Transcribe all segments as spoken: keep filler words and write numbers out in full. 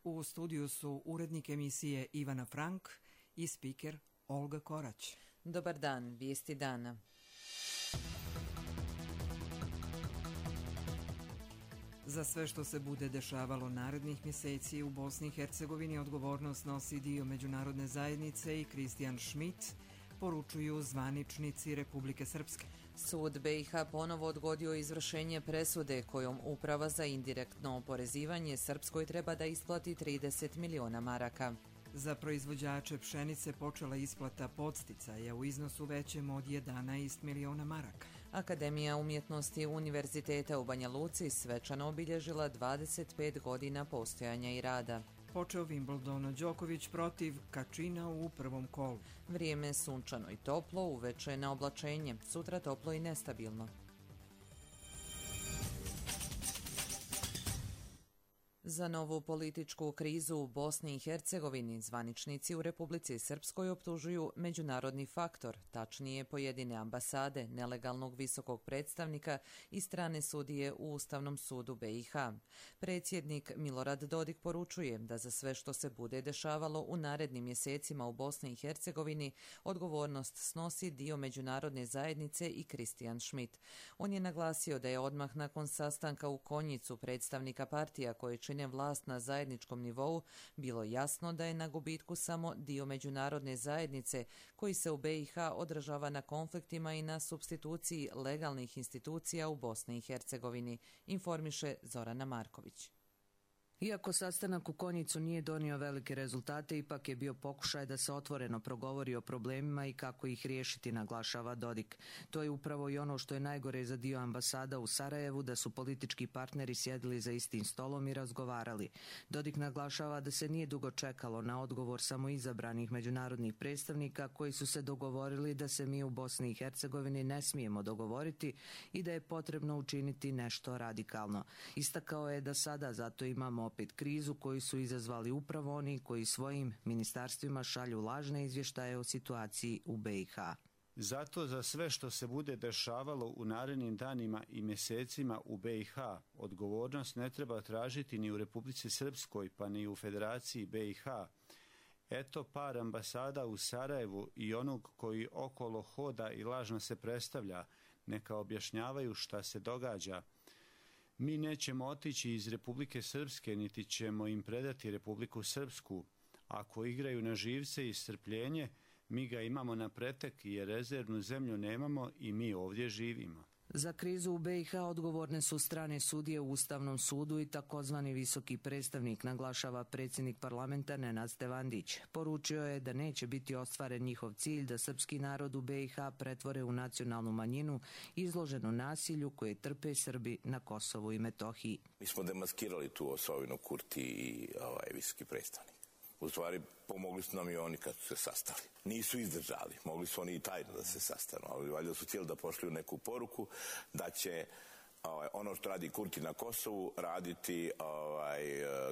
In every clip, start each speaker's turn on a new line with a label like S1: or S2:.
S1: U studiju su urednik emisije Ivana Frank i spiker Olga Korać.
S2: Dobar dan, vijesti dana.
S1: Za sve što se bude dešavalo narednih mjeseci u Bosni i Hercegovini odgovornost nosi dio međunarodne zajednice i Kristijan Schmidt, poručuju zvaničnici Republike Srpske.
S2: Sud B i H ponovo odgodio izvršenje presude kojom Uprava za indirektno oporezivanje Srpskoj treba da isplati trideset miliona maraka.
S1: Za proizvođače pšenice počela isplata podsticaja u iznosu većem od jedanaest miliona maraka.
S2: Akademija umjetnosti Univerziteta u Banja Luci svečano obilježila dvadeset pet godina postojanja i rada.
S1: Počeo Wimbledon, Đoković protiv Kačina u prvom kolu.
S2: Vrijeme sunčano i toplo, uveče na oblačenje, sutra toplo i nestabilno. Za novu političku krizu u Bosni i Hercegovini zvaničnici u Republici Srpskoj optužuju međunarodni faktor, tačnije pojedine ambasade, nelegalnog visokog predstavnika i strane sudije u Ustavnom sudu B i H. Predsjednik Milorad Dodik poručuje da za sve što se bude dešavalo u narednim mjesecima u Bosni i Hercegovini odgovornost snosi dio međunarodne zajednice i Kristijan Schmidt. On je naglasio da je odmah nakon sastanka u Konjicu predstavnika partija koje čine vlast na zajedničkom nivou bilo jasno da je na gubitku samo dio međunarodne zajednice koji se u B i H odražava na konfliktima i na supstituciji legalnih institucija u Bosni i Hercegovini, informiše Zorana Marković.
S3: Iako sastanak u Konjicu nije donio velike rezultate, ipak je bio pokušaj da se otvoreno progovori o problemima i kako ih riješiti, naglašava Dodik. To je upravo i ono što je najgore za dio ambasada u Sarajevu, da su politički partneri sjedili za istim stolom i razgovarali. Dodik naglašava da se nije dugo čekalo na odgovor samo izabranih međunarodnih predstavnika koji su se dogovorili da se mi u Bosni i Hercegovini ne smijemo dogovoriti i da je potrebno učiniti nešto radikalno. Istakao je da sada zato imamo opet krizu koju su izazvali upravo oni koji svojim ministarstvima šalju lažne izvještaje o situaciji u B i H.
S4: Zato za sve što se bude dešavalo u narednim danima i mjesecima u B i H odgovornost ne treba tražiti ni u Republici Srpskoj pa ni u Federaciji B i H. Eto par ambasada u Sarajevu i onog koji okolo hoda i lažno se predstavlja, neka objašnjavaju šta se događa. Mi nećemo otići iz Republike Srpske, niti ćemo im predati Republiku Srpsku. Ako igraju na živce i strpljenje, mi ga imamo na pretek jer rezervnu zemlju nemamo i mi ovdje živimo.
S3: Za krizu u B i H odgovorne su strane sudije u Ustavnom sudu i takozvani visoki predstavnik, naglašava predsjednik parlamenta Nenad Stevandić. Poručio je da neće biti ostvaren njihov cilj da srpski narod u B i H pretvore u nacionalnu manjinu izloženu nasilju koje trpe Srbi na Kosovu i Metohiji.
S5: Mi smo demaskirali tu osovinu Kurti i ovaj visoki predstavnik. U stvari, pomogli su nam i oni kad su se sastali. Nisu izdržali, mogli su oni i tajno da se sastanu, ali valjda su htjeli da pošlju neku poruku da će ovaj, ono što radi Kurti na Kosovu raditi ovaj,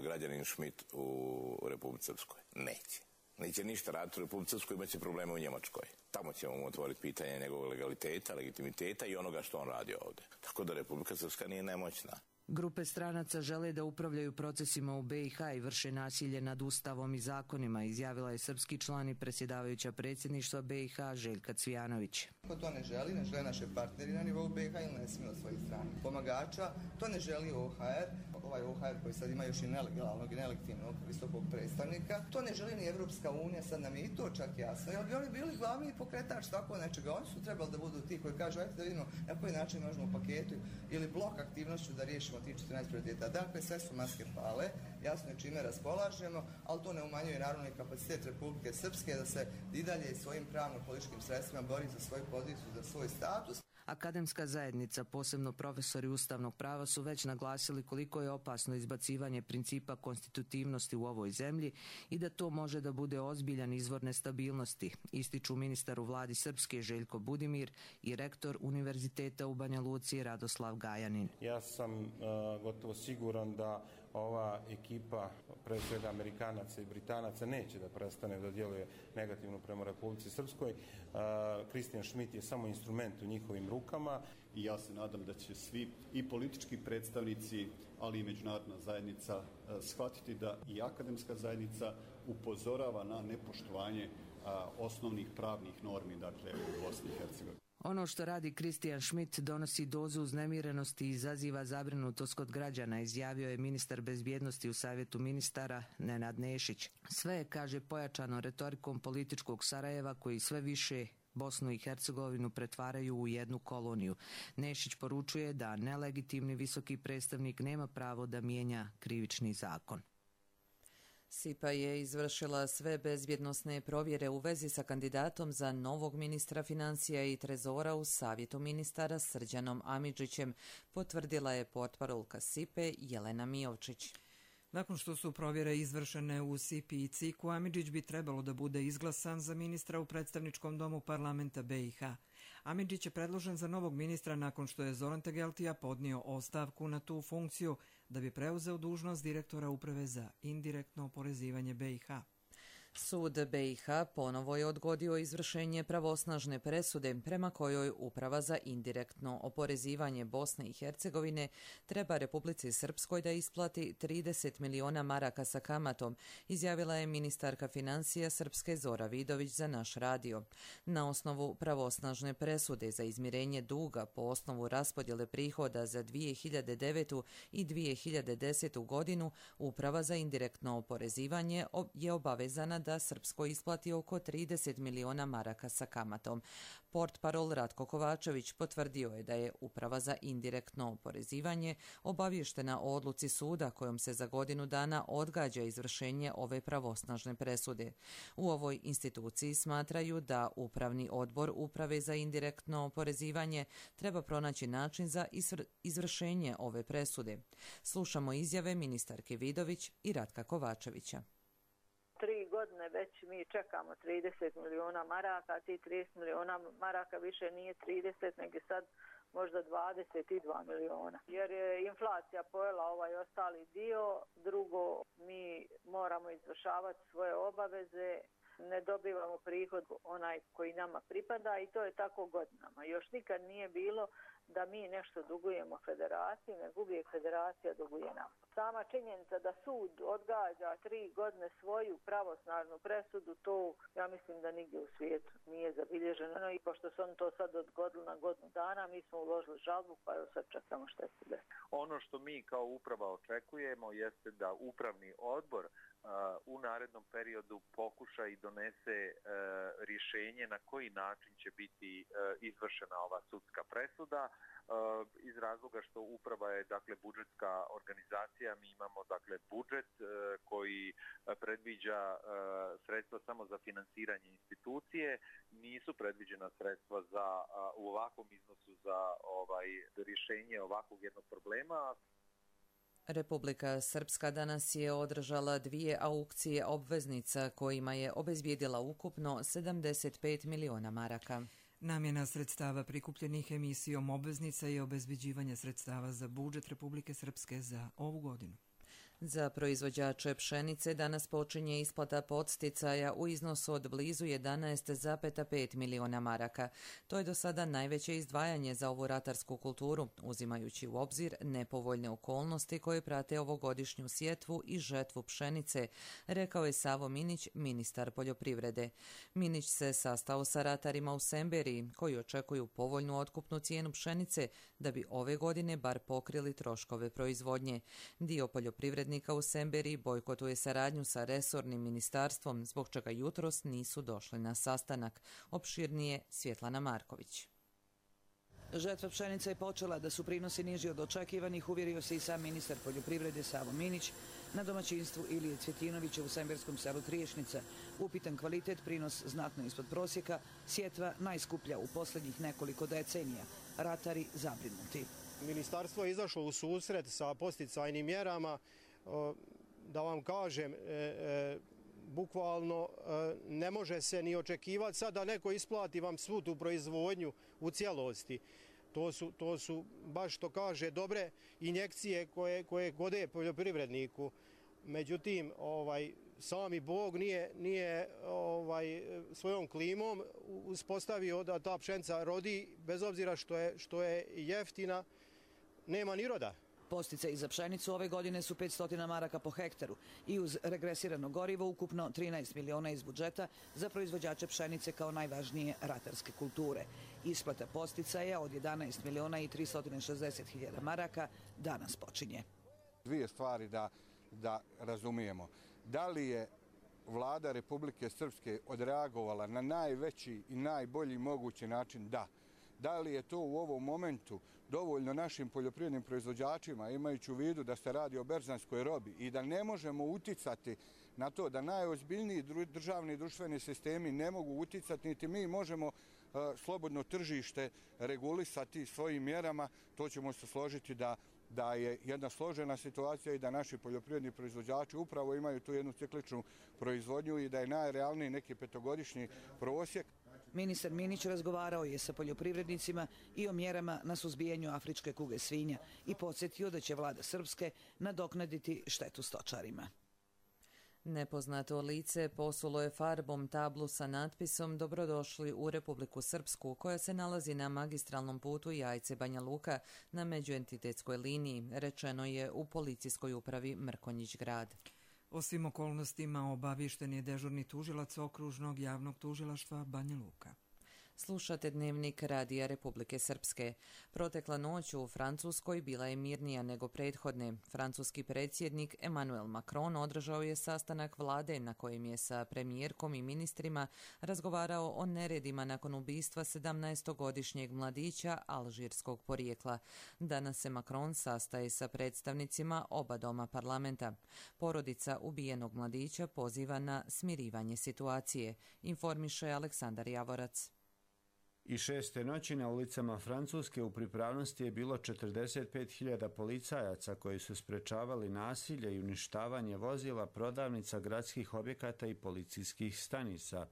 S5: građanin Schmidt u Republici Srpskoj. Neće. Neće ništa raditi u Republici Srpskoj, imat će probleme u Njemačkoj. Tamo ćemo mu otvoriti pitanje njegovog legaliteta, legitimiteta i onoga što on radi ovdje. Tako da Republika Srpska nije nemoćna.
S3: Grupe stranaca žele da upravljaju procesima u B i H i vrše nasilje nad Ustavom i zakonima, izjavila je srpski član i predsjedavajuća predsjedništva B i H Željka Cvijanović.
S6: Ko to ne želi, ne žele naše partneri na nivou B i H ili ne smije od svojih strana pomagača, to ne želi O H R, ovaj O H R koji sad ima još i nelegalnog i nelegitimnog visokog predstavnika, to ne želi ni Evropska unija, sad nam je i to čak jasno, jer bi oni bili glavni pokretač tako nečega, oni su trebali da budu ti koji kažu, ajte da vidimo na koji način možemo u paketu ili blok aktivnošću da riješimo ti četrnaest prioriteta. Dakle, sve su maske pale, jasno je čime raspolažemo, ali to ne umanjuje naravno i kapacitet Republike Srpske da se i dalje svojim pravno-političkim sredstvima bori za svoju poziciju, za svoj status.
S3: Akademska zajednica, posebno profesori ustavnog prava, su već naglasili koliko je opasno izbacivanje principa konstitutivnosti u ovoj zemlji i da to može da bude ozbiljan izvor nestabilnosti, ističu ministar u vladi Srpske Željko Budimir i rektor Univerziteta u Banja Luci Radoslav Gajanin.
S7: Ja sam uh, gotovo siguran da ova ekipa, pre svega Amerikanaca i Britanaca, neće da prestane da djeluje negativno prema Republici Srpskoj. Kristijan Šmit je samo instrument u njihovim rukama.
S8: I ja se nadam da će svi i politički predstavnici, ali i međunarodna zajednica shvatiti da i akademska zajednica upozorava na nepoštovanje osnovnih pravnih normi, dakle, u Bosni i Hercegovini.
S3: Ono što radi Kristijan Šmit donosi dozu uznemirenosti i izaziva zabrinutost kod građana, izjavio je ministar bezbjednosti u Savjetu ministara Nenad Nešić. Sve je, kaže, pojačano retorikom političkog Sarajeva koji sve više Bosnu i Hercegovinu pretvaraju u jednu koloniju. Nešić poručuje da nelegitimni visoki predstavnik nema pravo da mijenja krivični zakon.
S2: S I P A je izvršila sve bezbjednosne provjere u vezi sa kandidatom za novog ministra financija i trezora u Savjetu ministara Srđanom Amidžićem, potvrdila je portparolka S I P E Jelena Mijovčić.
S1: Nakon što su provjere izvršene u S I P I i C I K-u, Amidžić bi trebalo da bude izglasan za ministra u predstavničkom domu parlamenta B i H. Amidžić je predložen za novog ministra nakon što je Zoran Tegeltija podnio ostavku na tu funkciju da bi preuzeo dužnost direktora Uprave za indirektno oporezivanje B i H.
S2: Sud B i H ponovo je odgodio izvršenje pravosnažne presude prema kojoj Uprava za indirektno oporezivanje Bosne i Hercegovine treba Republici Srpskoj da isplati trideset miliona maraka sa kamatom, izjavila je ministarka financija Srpske Zora Vidović za naš radio. Na osnovu pravosnažne presude za izmirenje duga po osnovu raspodjele prihoda za dvije hiljade devetu i dvije hiljade desetu godinu, Uprava za indirektno oporezivanje je obavezana da Srpskoj isplati oko trideset miliona maraka sa kamatom. Portparol Ratko Kovačević potvrdio je da je Uprava za indirektno oporezivanje obavještena o odluci suda kojom se za godinu dana odgađa izvršenje ove pravosnažne presude. U ovoj instituciji smatraju da Upravni odbor Uprave za indirektno oporezivanje treba pronaći način za izvršenje ove presude. Slušamo izjave ministarke Vidović i Ratka Kovačevića.
S9: Tri godine već mi čekamo trideset miliona maraka, a ti trideset miliona maraka više nije trideset, nego sad možda dvadeset dva miliona. Jer je inflacija pojela ovaj ostali dio, drugo mi moramo izvršavati svoje obaveze, ne dobivamo prihod onaj koji nama pripada i to je tako godinama. Još nikad nije bilo da mi nešto dugujemo federaciji, nego uvijek federacija duguje nam. Sama činjenica da sud odgađa tri godine svoju pravosnažnu presudu, to ja mislim da nigdje u svijetu nije zabilježeno i pošto su oni to sad odgodili na godinu dana, mi smo uložili žalbu, pa evo sad čekamo što se desi.
S10: Ono što mi kao uprava očekujemo jeste da upravni odbor uh, u narednom periodu pokuša i donese uh, rješenje na koji način će biti uh, izvršena ova sudska presuda. Uh, iz razloga što uprava je dakle budžetska organizacija, mi imamo dakle budžet uh, koji uh, predviđa uh, sredstva samo za finansiranje institucije, nisu predviđena sredstva za uh, u ovakvom iznosu za ovaj rješenje ovakvog jednog problema.
S2: Republika Srpska danas je održala dvije aukcije obveznica kojima je obezbijedila ukupno sedamdeset pet miliona maraka.
S1: Namjena sredstava prikupljenih emisijom obveznica je obezbeđivanje sredstava za budžet Republike Srpske za ovu godinu.
S2: Za proizvođače pšenice danas počinje isplata podsticaja u iznosu od blizu jedanaest zarez pet miliona maraka. To je do sada najveće izdvajanje za ovu ratarsku kulturu, uzimajući u obzir nepovoljne okolnosti koje prate ovogodišnju sjetvu i žetvu pšenice, rekao je Savo Minić, ministar poljoprivrede. Minić se sastao sa ratarima u Semberiji, koji očekuju povoljnu otkupnu cijenu pšenice da bi ove godine bar pokrili troškove proizvodnje. Dio poljoprivrednika u Semberiji bojkotuje saradnju sa resornim ministarstvom, zbog čega jutros nisu došli na sastanak. Opširnije Svjetlana Marković.
S11: Žetva pšenica je počela, da su prinosi niži od očekivanih, uvjerio se i sam ministar poljoprivrede Savo Minić na domaćinstvu Ilije Cvjetinovića u semberskom selu Triješnica. Upitan kvalitet, prinos znatno ispod prosjeka, sjetva najskuplja u posljednjih nekoliko decenija. Ratari zabrinuti.
S12: Ministarstvo je izašlo u susret sa podsticajnim mjerama. Da vam kažem, e, e, bukvalno e, ne može se ni očekivati sad da neko isplati vam svu tu proizvodnju u cijelosti. To su, to su baš što kaže dobre injekcije koje, koje gode poljoprivredniku. Međutim, ovaj, sami Bog nije, nije ovaj, svojom klimom uspostavio da ta pšenica rodi, bez obzira što je, što je jeftina, nema ni roda.
S11: Posticaji za pšenicu ove godine su petsto maraka po hektaru i uz regresirano gorivo ukupno trinaest miliona iz budžeta za proizvođače pšenice kao najvažnije ratarske kulture. Isplata posticaja od jedanaest miliona i tristo šezdeset hiljada maraka danas počinje.
S13: Dvije stvari da, da razumijemo. Da li je vlada Republike Srpske odreagovala na najveći i najbolji mogući način? Da. Da li je to u ovom momentu dovoljno našim poljoprivrednim proizvođačima, imajući u vidu da se radi o berzanskoj robi i da ne možemo uticati na to, da najozbiljniji državni i društveni sistemi ne mogu uticati, niti mi možemo uh, slobodno tržište regulisati svojim mjerama, to ćemo se složiti da da je jedna složena situacija i da naši poljoprivredni proizvođači upravo imaju tu jednu cikličnu proizvodnju i da je najrealniji neki petogodišnji prosjek.
S11: Ministar Minić razgovarao je sa poljoprivrednicima i o mjerama na suzbijanju afričke kuge svinja i podsjetio da će vlada Srpske nadoknaditi štetu stočarima.
S2: Nepoznato lice posulo je farbom tablu sa natpisom Dobrodošli u Republiku Srpsku, koja se nalazi na magistralnom putu Jajce-Banja Luka na međuentitetskoj liniji, rečeno je u policijskoj upravi Mrkonjić grad.
S1: O svim okolnostima obaviješten je dežurni tužilac okružnog javnog tužilaštva Banja Luka.
S2: Slušate dnevnik Radija Republike Srpske. Protekla noć u Francuskoj bila je mirnija nego prethodne. Francuski predsjednik Emmanuel Macron održao je sastanak vlade na kojem je sa premijerkom i ministrima razgovarao o neredima nakon ubistva sedamnaestogodišnjeg mladića alžirskog porijekla. Danas se Macron sastaje sa predstavnicima oba doma parlamenta. Porodica ubijenog mladića poziva na smirivanje situacije, informiše Aleksandar Javorac.
S4: I šeste noći na ulicama Francuske u pripravnosti je bilo četrdeset pet hiljada policajaca koji su sprečavali nasilje i uništavanje vozila, prodavnica, gradskih objekata i policijskih stanica.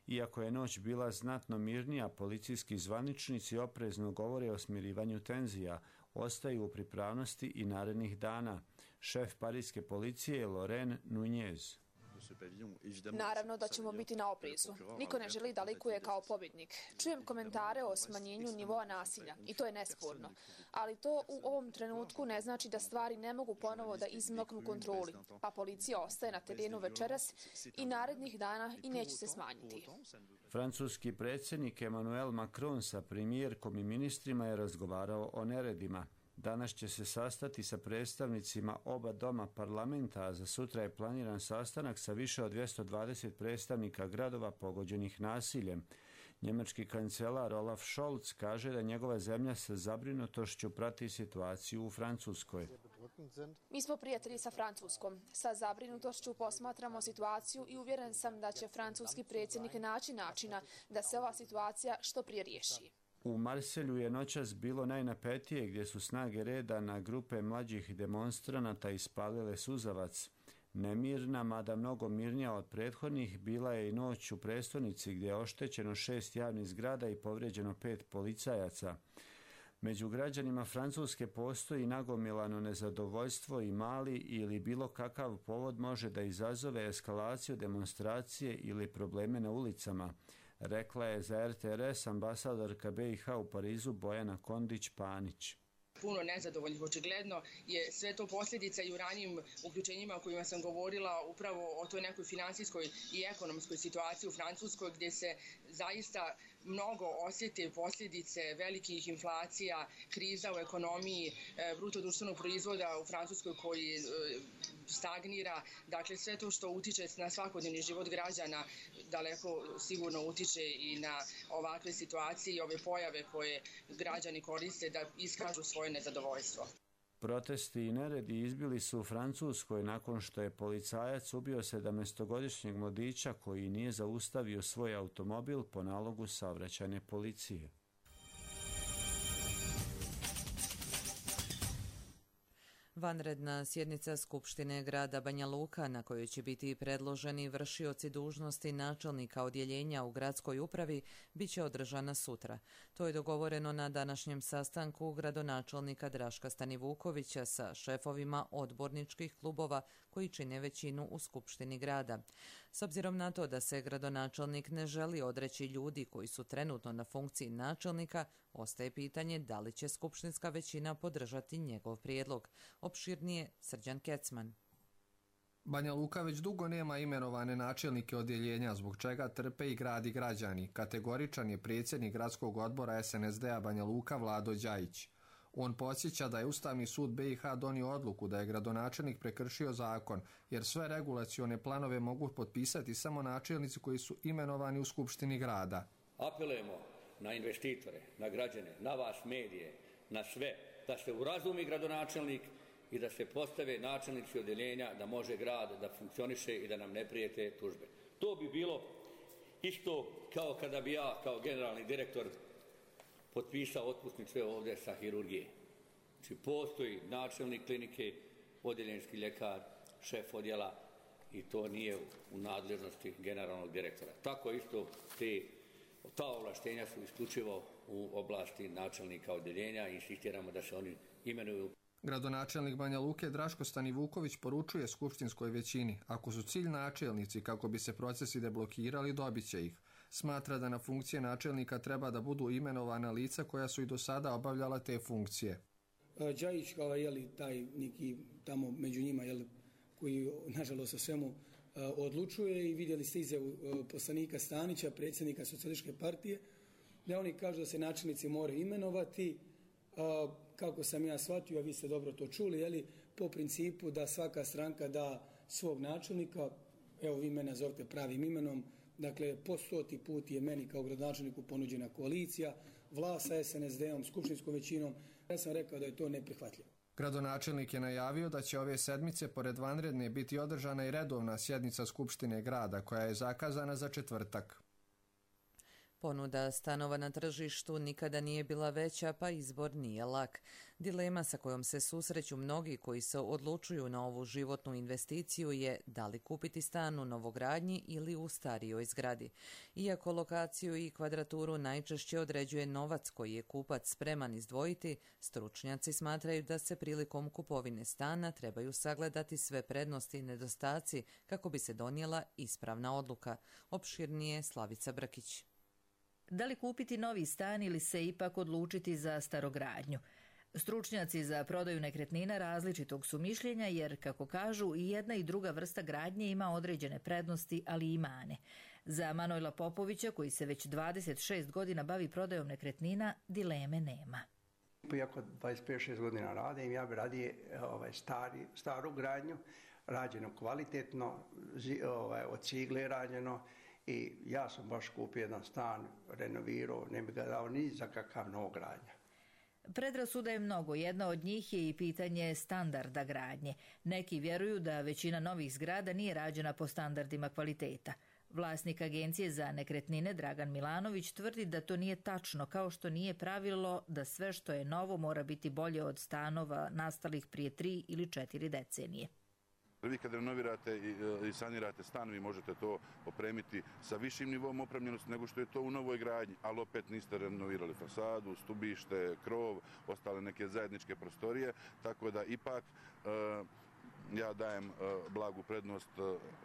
S4: Iako je noć bila znatno mirnija, policijski zvaničnici oprezno govore o smirivanju tenzija, ostaju u pripravnosti i narednih dana. Šef parijske policije je Laurent Nunez.
S14: Naravno da ćemo biti na oprezu. Niko ne želi da likuje kao pobjednik. Čujem komentare o smanjenju nivoa nasilja i to je nesporno. Ali to u ovom trenutku ne znači da stvari ne mogu ponovo da izmaknu kontroli, pa policija ostaje na terenu večeras i narednih dana i neće se smanjiti.
S4: Francuski predsjednik Emmanuel Macron sa premijerkom i ministrima je razgovarao o neredima. Danas će se sastati sa predstavnicima oba doma parlamenta, a za sutra je planiran sastanak sa više od dvjesto dvadeset predstavnika gradova pogođenih nasiljem. Njemački kancelar Olaf Scholz kaže da njegova zemlja sa zabrinutošću prati situaciju u Francuskoj.
S14: Mi smo prijatelji sa Francuskom. Sa zabrinutošću posmatramo situaciju i uvjeren sam da će francuski predsjednik naći načina da se ova situacija što prije riješi.
S4: U Marselju je noćas bilo najnapetije gdje su snage reda na grupe mlađih demonstranata ispalile suzavac. Nemirna, mada mnogo mirnija od prethodnih, bila je i noć u prestonici gdje je oštećeno šest javnih zgrada i povrijeđeno pet policajaca. Među građanima Francuske postoji nagomilano nezadovoljstvo i mali ili bilo kakav povod može da izazove eskalaciju demonstracije ili probleme na ulicama, rekla je za R T R S ambasadorka B i H u Parizu Bojana Kondić-Panić.
S15: Puno nezadovoljnih, očigledno je sve to posljedica i u ranijim uključenjima o kojima sam govorila upravo o toj nekoj finansijskoj i ekonomskoj situaciji u Francuskoj gdje se zaista mnogo osjete posljedice velikih inflacija, kriza u ekonomiji, bruto društvenog proizvoda u Francuskoj koji stagnira. Dakle, sve to što utiče na svakodnevni život građana daleko sigurno utiče i na ovakve situacije i ove pojave koje građani koriste da iskažu svoje nezadovoljstvo.
S4: Protesti i neredi izbili su u Francuskoj nakon što je policajac ubio sedamnaestogodišnjeg mladića koji nije zaustavio svoj automobil po nalogu saobraćajne policije.
S2: Vanredna sjednica Skupštine grada Banja Luka, na kojoj će biti predloženi vršioci dužnosti načelnika odjeljenja u gradskoj upravi, bit će održana sutra. To je dogovoreno na današnjem sastanku gradonačelnika Draška Stanivukovića sa šefovima odborničkih klubova koji čine većinu u Skupštini grada. S obzirom na to da se gradonačelnik ne želi odreći ljudi koji su trenutno na funkciji načelnika, ostaje pitanje da li će skupštinska većina podržati njegov prijedlog. Opširnije Srđan Kecman.
S16: Banja Luka već dugo nema imenovane načelnike odjeljenja, zbog čega trpe i grad i građani. Kategoričan je predsjednik gradskog odbora es en es de a Banja Luka Vlado Đajić. On podsjeća da je Ustavni sud be i ha donio odluku da je gradonačelnik prekršio zakon, jer sve regulacione planove mogu potpisati samo načelnici koji su imenovani u Skupštini grada.
S17: Apelujemo na investitore, na građane, na vas medije, na sve, da se urazumi gradonačelnik i da se postave načelnici odjeljenja, da može grad da funkcioniše i da nam ne prijete tužbe. To bi bilo isto kao kada bi ja kao generalni direktor potpisao otpusnice ovdje sa hirurgije. Znači postoji načelnik klinike, odjeljenski ljekar, šef odjela i to nije u nadležnosti generalnog direktora. Tako isto te, ta ovlaštenja su isključivo u oblasti načelnika odjeljenja i insistiramo da se oni imenuju.
S16: Gradonačelnik Banja Luke Draško Stanivuković poručuje skupštinskoj većini, ako su cilj načelnici kako bi se procesi deblokirali, dobit će ih. Smatra da na funkcije načelnika treba da budu imenovana lica koja su i do sada obavljala te funkcije.
S18: Đajić kao je taj neki tamo među njima jeli, koji nažalost o svemu odlučuje i vidjeli ste izjavu poslanika Stanića, predsjednika Socijalističke partije, da oni kažu da se načelnici moraju imenovati, kako sam ja shvatio, a vi ste dobro to čuli, jeli, po principu da svaka stranka da svog načelnika, evo vi mene nazovite pravim imenom, dakle po stoti put je meni kao gradonačelniku ponuđena koalicija, vlast sa es en es de om, skupštinskom većinom, ja sam rekao da je to neprihvatljivo.
S16: Gradonačelnik je najavio da će ove sedmice pored vanredne biti održana i redovna sjednica Skupštine grada koja je zakazana za četvrtak.
S2: Ponuda stanova na tržištu nikada nije bila veća, pa izbor nije lak. Dilema sa kojom se susreću mnogi koji se odlučuju na ovu životnu investiciju je da li kupiti stan u novogradnji ili u starijoj zgradi. Iako lokaciju i kvadraturu najčešće određuje novac koji je kupac spreman izdvojiti, stručnjaci smatraju da se prilikom kupovine stana trebaju sagledati sve prednosti i nedostaci kako bi se donijela ispravna odluka. Opširnije Slavica Brkić.
S19: Da li kupiti novi stan ili se ipak odlučiti za starogradnju? Stručnjaci za prodaju nekretnina različitog su mišljenja jer, kako kažu, i jedna i druga vrsta gradnje ima određene prednosti, ali i mane. Za Manojla Popovića, koji se već dvadeset šest godina bavi prodajom nekretnina, dileme nema.
S20: Iako dvadeset pet šest godina radim, ja bi radije ovaj, stari, staru gradnju, rađeno kvalitetno, ovaj, od cigle rađeno, i ja sam baš kupio jedan stan, renovirao, ne bi ga dao ni za kakav novogradnja.
S19: Predrasuda je mnogo, jedna od njih je i pitanje standarda gradnje. Neki vjeruju da većina novih zgrada nije rađena po standardima kvaliteta. Vlasnik agencije za nekretnine Dragan Milanović tvrdi da to nije tačno, kao što nije pravilo da sve što je novo mora biti bolje od stanova nastalih prije tri ili četiri decenije.
S21: Vi kad renovirate i sanirate stan, vi možete to opremiti sa višim nivom opremljenosti nego što je to u novoj gradnji, ali opet niste renovirali fasadu, stubište, krov, ostale neke zajedničke prostorije, tako da ipak ja dajem blagu prednost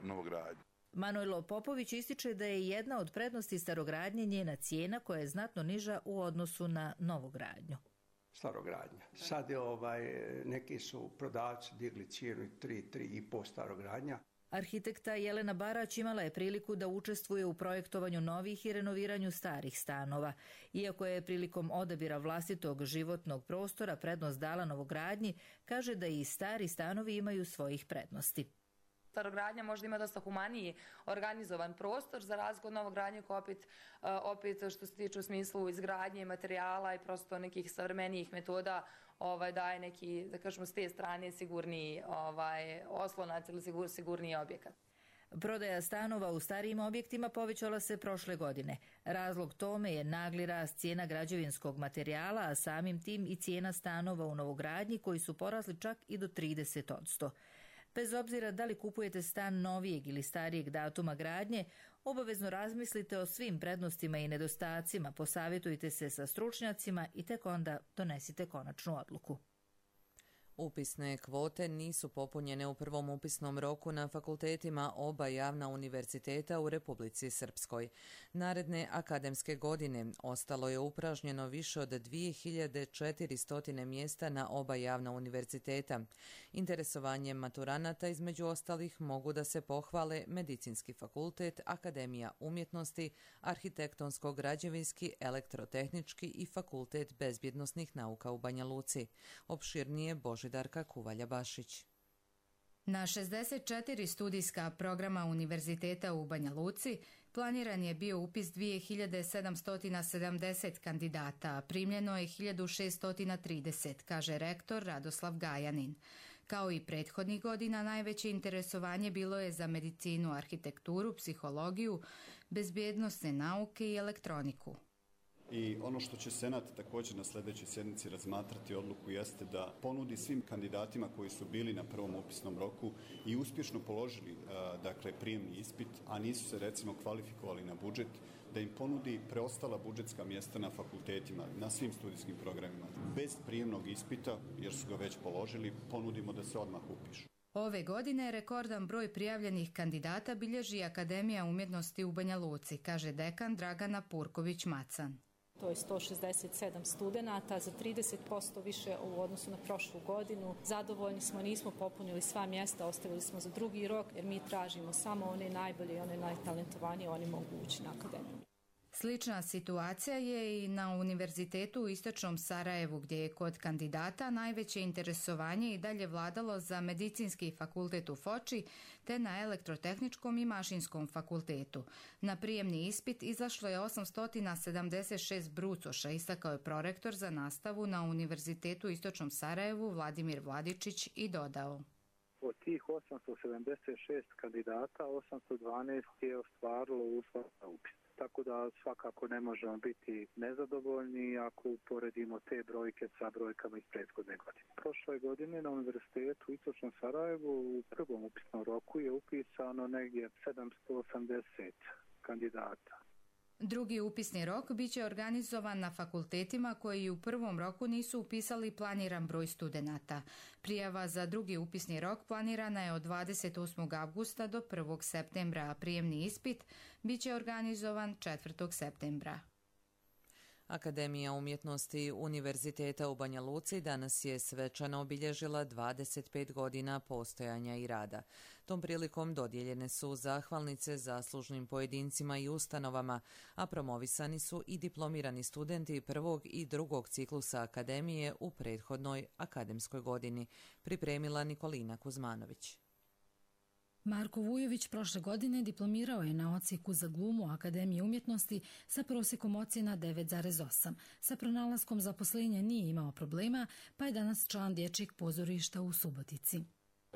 S21: novogradnji.
S19: Manojlo Popović ističe da je jedna od prednosti starogradnje njena cijena koja je znatno niža u odnosu na novogradnju.
S20: Starogradnja. Sad je ovaj, neki su prodavci digli cijenu tri, tri i po starogradnja.
S19: Arhitekta Jelena Barać imala je priliku da učestvuje u projektovanju novih i renoviranju starih stanova. Iako je prilikom odabira vlastitog životnog prostora prednost dala novogradnji, kaže da i stari stanovi imaju svojih prednosti.
S22: Starogradnja možda ima dosta humaniji organizovan prostor za razliku od novogradnje koja opet, opet što se tiče u smislu izgradnje materijala i prosto nekih savremenijih metoda ovaj, daje neki, da kažemo, s te strane sigurniji ovaj, oslonac ili sigur, sigurniji objekat.
S19: Prodaja stanova u starijim objektima povećala se prošle godine. Razlog tome je nagli rast cijena građevinskog materijala, a samim tim i cijena stanova u novogradnji koji su porasli čak i do trideset posto. Bez obzira da li kupujete stan novijeg ili starijeg datuma gradnje, obavezno razmislite o svim prednostima i nedostacima, posavjetujte se sa stručnjacima i tek onda donesite konačnu odluku.
S2: Upisne kvote nisu popunjene u prvom upisnom roku na fakultetima oba javna univerziteta u Republici Srpskoj. Naredne akademske godine ostalo je upražnjeno više od dvije hiljade četiristo mjesta na oba javna univerziteta. Interesovanjem maturanata između ostalih mogu da se pohvale Medicinski fakultet, Akademija umjetnosti, Arhitektonsko-građevinski, Elektrotehnički i Fakultet bezbjednosnih nauka u Banja Luci. Opširnije Božidarka Kuvalja-Bašić.
S5: Na šezdeset četiri studijska programa Univerziteta u Banja Luci planiran je bio upis dvije hiljade sedamsto sedamdeset kandidata, a primljeno je hiljadu šeststo trideset, kaže rektor Radoslav Gajanin. Kao i prethodnih godina, najveće interesovanje bilo je za medicinu, arhitekturu, psihologiju, bezbjednosne nauke i elektroniku.
S8: I ono što će Senat također na sljedećoj sjednici razmatrati odluku jeste da ponudi svim kandidatima koji su bili na prvom upisnom roku i uspješno položili dakle, prijemni ispit, a nisu se recimo kvalifikovali na budžet, da im ponudi preostala budžetska mjesta na fakultetima, na svim studijskim programima. Bez prijemnog ispita, jer su ga već položili, ponudimo da se odmah upišu.
S5: Ove godine rekordan broj prijavljenih kandidata bilježi Akademija umjetnosti u Banja Luci, kaže dekan Dragana Purković-Macan.
S6: To je sto šezdeset sedam studenata, za trideset posto više u odnosu na prošlu godinu. Zadovoljni smo, nismo popunili sva mjesta, ostavili smo za drugi rok, jer mi tražimo samo one najbolje i one najtalentovanije, oni mogu ući na akademiju.
S5: Slična situacija je i na Univerzitetu u Istočnom Sarajevu, gdje je kod kandidata najveće interesovanje i dalje vladalo za Medicinski fakultet u Foči, te na Elektrotehničkom i Mašinskom fakultetu. Na prijemni ispit izašlo je osamsto sedamdeset šest brucoša, istakao je prorektor za nastavu na Univerzitetu u Istočnom Sarajevu Vladimir Vladičić i dodao.
S23: Od tih osamsto sedamdeset šest kandidata, osamsto dvanaest je ostvarilo uslov za upis. Tako da svakako ne možemo biti nezadovoljni ako uporedimo te brojke sa brojkama iz prethodne godine. Prošle godine na Univerzitetu u Istočnom Sarajevu u prvom upisnom roku je upisano negdje sedamsto osamdeset kandidata.
S5: Drugi upisni rok biće organizovan na fakultetima koji u prvom roku nisu upisali planiran broj studenata. Prijava za drugi upisni rok planirana je od dvadeset osmog avgusta do prvog septembra, a prijemni ispit biće organizovan četvrtog septembra.
S2: Akademija umjetnosti Univerziteta u Banja Luci danas je svečano obilježila dvadeset pet godina postojanja i rada. Tom prilikom dodijeljene su zahvalnice zaslužnim pojedincima i ustanovama, a promovisani su i diplomirani studenti prvog i drugog ciklusa Akademije u prethodnoj akademskoj godini, pripremila Nikolina Kuzmanović.
S24: Marko Vujović prošle godine diplomirao je na odsjeku za glumu Akademije umjetnosti sa prosjekom ocjena devet zarez osam. Sa pronalaskom zaposlenja nije imao problema, pa je danas član dječjeg pozorišta u Subotici.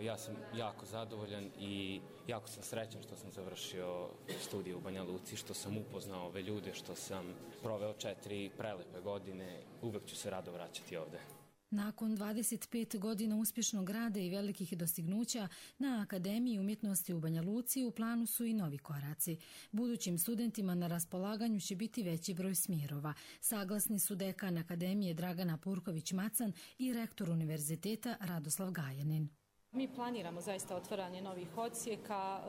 S25: Ja sam jako zadovoljan i jako sam srećan što sam završio studije u Banja Luci, što sam upoznao ove ljude, što sam proveo četiri prelepe godine. Uvek ću se rado vraćati ovde.
S24: Nakon dvadeset pet godina uspješnog rada i velikih dostignuća, na Akademiji umjetnosti u Banja Luci u planu su i novi koraci. Budućim studentima na raspolaganju će biti veći broj smjerova. Saglasni su dekan Akademije Dragana Purković-Macan i rektor univerziteta Radoslav Gajanin.
S6: Mi planiramo zaista otvaranje novih odsjeka,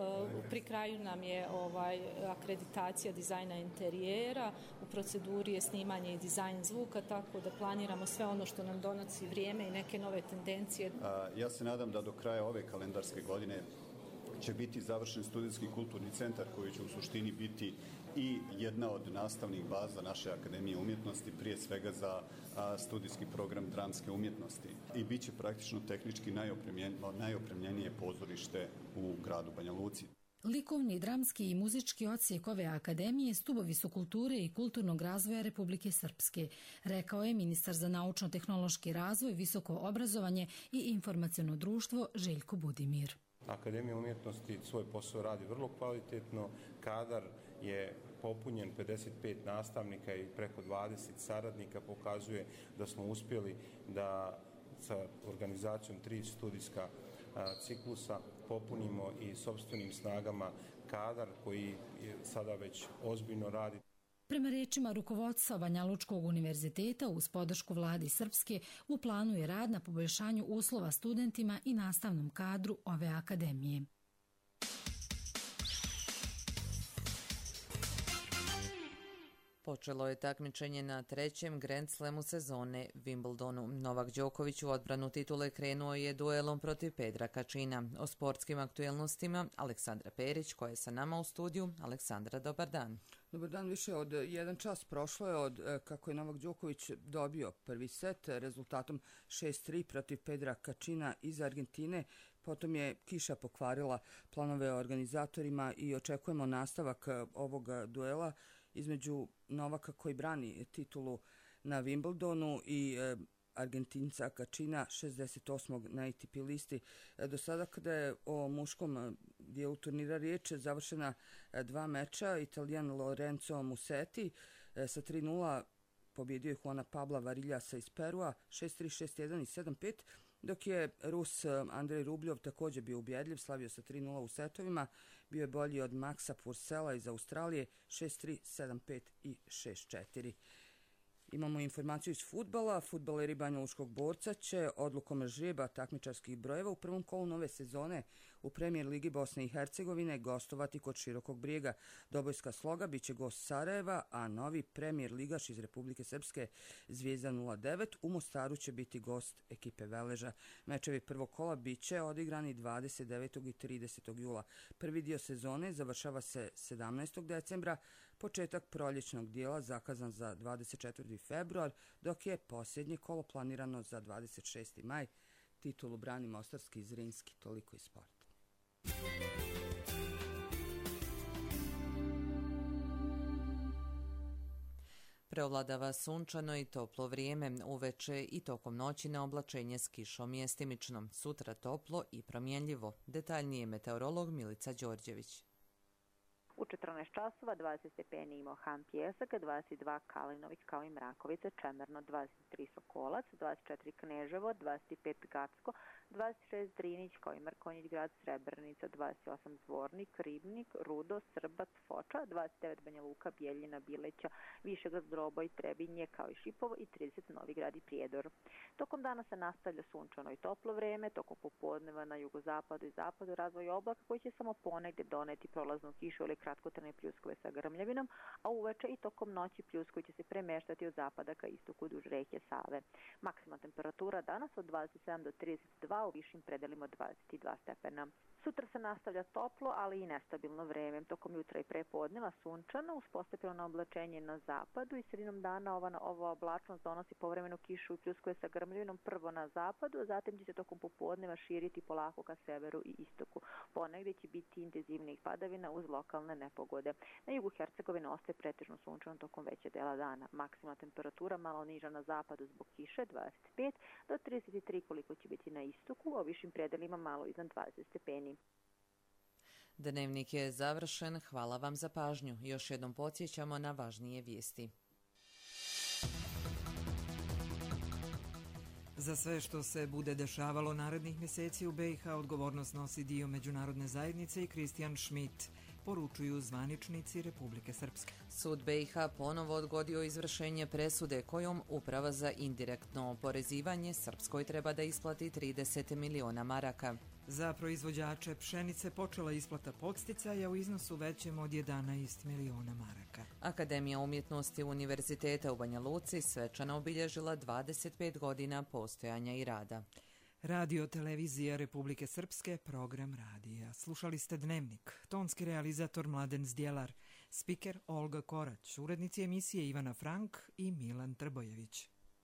S6: pri kraju nam je ovaj, akreditacija dizajna interijera, u proceduri je snimanje i dizajn zvuka, tako da planiramo sve ono što nam donosi vrijeme i neke nove tendencije.
S8: Ja se nadam da do kraja ove kalendarske godine će biti završen studentski kulturni centar koji će u suštini biti i jedna od nastavnih baza naše Akademije umjetnosti, prije svega za a, studijski program dramske umjetnosti. I bit će praktično tehnički najopremljen, najopremljenije pozorište u gradu Banja Luci.
S24: Likovni, dramski i muzički odsjek ove akademije stubovi su kulture i kulturnog razvoja Republike Srpske, rekao je ministar za naučno-tehnološki razvoj, visoko obrazovanje i informaciono društvo Željko Budimir.
S3: Akademija umjetnosti svoj posao radi vrlo kvalitetno, kadar je popunjen, pedeset pet nastavnika i preko dvadeset saradnika pokazuje da smo uspjeli da sa organizacijom tri studijska a, ciklusa popunimo i sopstvenim snagama kadar koji sada već ozbiljno radi.
S24: Prema rečima rukovodstva Banja Lučkog univerziteta uz podršku vladi Srpske u planu je rad na poboljšanju uslova studentima i nastavnom kadru ove akademije.
S2: Počelo je takmičenje na trećem Grand Slamu sezone Wimbledonu. Novak Đoković u odbranu titule krenuo je duelom protiv Pedra Kačina. O sportskim aktuelnostima Aleksandra Perić koja je sa nama u studiju. Aleksandra, dobar dan.
S7: Dobar dan, više od jedan čas prošlo je od kako je Novak Đoković dobio prvi set rezultatom šest tri protiv Pedra Kačina iz Argentine. Potom je kiša pokvarila planove organizatorima i očekujemo nastavak ovog duela između Novaka koji brani titulu na Wimbledonu i e, Argentinca Kačina šezdeset osmog na A T P listi. E, do sada kada je o muškom dijelu turnira riječ završena e, dva meča, Italijan Lorenzo Musetti e, sa tri nula pobjedio je Juana Pabla Variljasa iz Perua šest tri, šest jedan i sedam pet, dok je Rus Andrej Rubljov također bio ubjedljiv, slavio sa tri nula u setovima, bio je bolji od Maxa Purcella iz Australije šest tri, sedam pet i šest četiri. Imamo informaciju iz fudbala. Fudbaleri Banja Lučkog Borca će odlukom žreba takmičarskih brojeva u prvom kolu nove sezone u Premijer Ligi Bosne i Hercegovine gostovati kod Širokog Brijega. Dobojska Sloga bit će gost Sarajeva, a novi premijer ligaš iz Republike Srpske Zvijezda nula devet u Mostaru će biti gost ekipe Veleža. Mečevi prvog kola bit će odigrani dvadeset devetog i tridesetog jula. Prvi dio sezone završava se sedamnaestog decembra, početak proljećnog dijela zakazan za dvadeset četvrti februar, dok je posljednje kolo planirano za dvadeset šesti maj. Titulu brani mostarski i Zrinski. Toliko iz sporta.
S2: Preovladava sunčano i toplo vrijeme, uveče i tokom noći na oblačenje s kišom mjestimično. Sutra toplo i promjenljivo. Detaljnije meteorolog Milica Đorđević.
S9: U četrnaest časova dvadeset stepeni imao Han Pjesak, dvadeset dva Kalinović kao i Mrakovica, Čemerno dvadeset tri Sokolac, dvadeset četiri Kneževo, dvadeset pet Gacko, dvadeset šest Drinić kao i Mrkonjić grad, Srebrenica, dvadeset osam Zvornik, Ribnik, Rudo, Srbac, Foča, dvadeset devet Banja Luka, Bijeljina, Bileća, Višegrad, Zdroboj, Trebinje kao i Šipovo i trideset Novi Grad i Prijedor. Tokom dana se nastavlja sunčano i toplo vrijeme, tokom popodneva na jugozapadu i zapadu razvoj oblaka koji će samo ponegdje doneti prolaznu kišu ili kratkotrajne pljuskove sa grmljavinom, a uveče i tokom noći pljuskovi će se premeštati od zapada ka istoku duž reke Save. Maksimalna temperatura danas od dvadeset sedam do trideset dva, u višim predelima dvadeset dva stepena. Sutra se nastavlja toplo, ali i nestabilno vrijeme. Tokom jutra i prepodneva sunčano, uz postepeno oblačenje na zapadu i sredinom dana ova, ova oblačnost donosi povremenu kišu i pljuskove sa grmljavinom prvo na zapadu, a zatim će se tokom popodneva širiti polako ka severu i istoku. Ponegdje će biti intenzivnih padavina uz lokalne nepogode. Na jugu Hercegovine ostaje pretežno sunčano tokom veće dela dana. Maksimalna temperatura malo niža na zapadu zbog kiše dvadeset pet do trideset tri koliko će biti na istoku, a u višim predelima malo iznad dvadeset stepeni.
S2: Dnevnik je završen. Hvala vam za pažnju. Još jednom podsjećamo na važnije vijesti.
S1: Za sve što se bude dešavalo narednih mjeseci u B i H odgovornost nosi dio međunarodne zajednice i Kristijan Schmidt, poručuju zvaničnici Republike Srpske.
S2: Sud B i H ponovo odgodio izvršenje presude kojom Uprava za indirektno oporezivanje Srpskoj treba da isplati trideset miliona maraka.
S1: Za proizvođače pšenice počela isplata podsticaja u iznosu većem od jedanaest miliona maraka.
S2: Akademija umjetnosti Univerziteta u Banja Luci svečano obilježila dvadeset pet godina postojanja i rada.
S1: Radio televizija Republike Srpske, program radija. Slušali ste Dnevnik, tonski realizator Mladen Zdjelar, spiker Olga Korać, urednici emisije Ivana Frank i Milan Trbojević.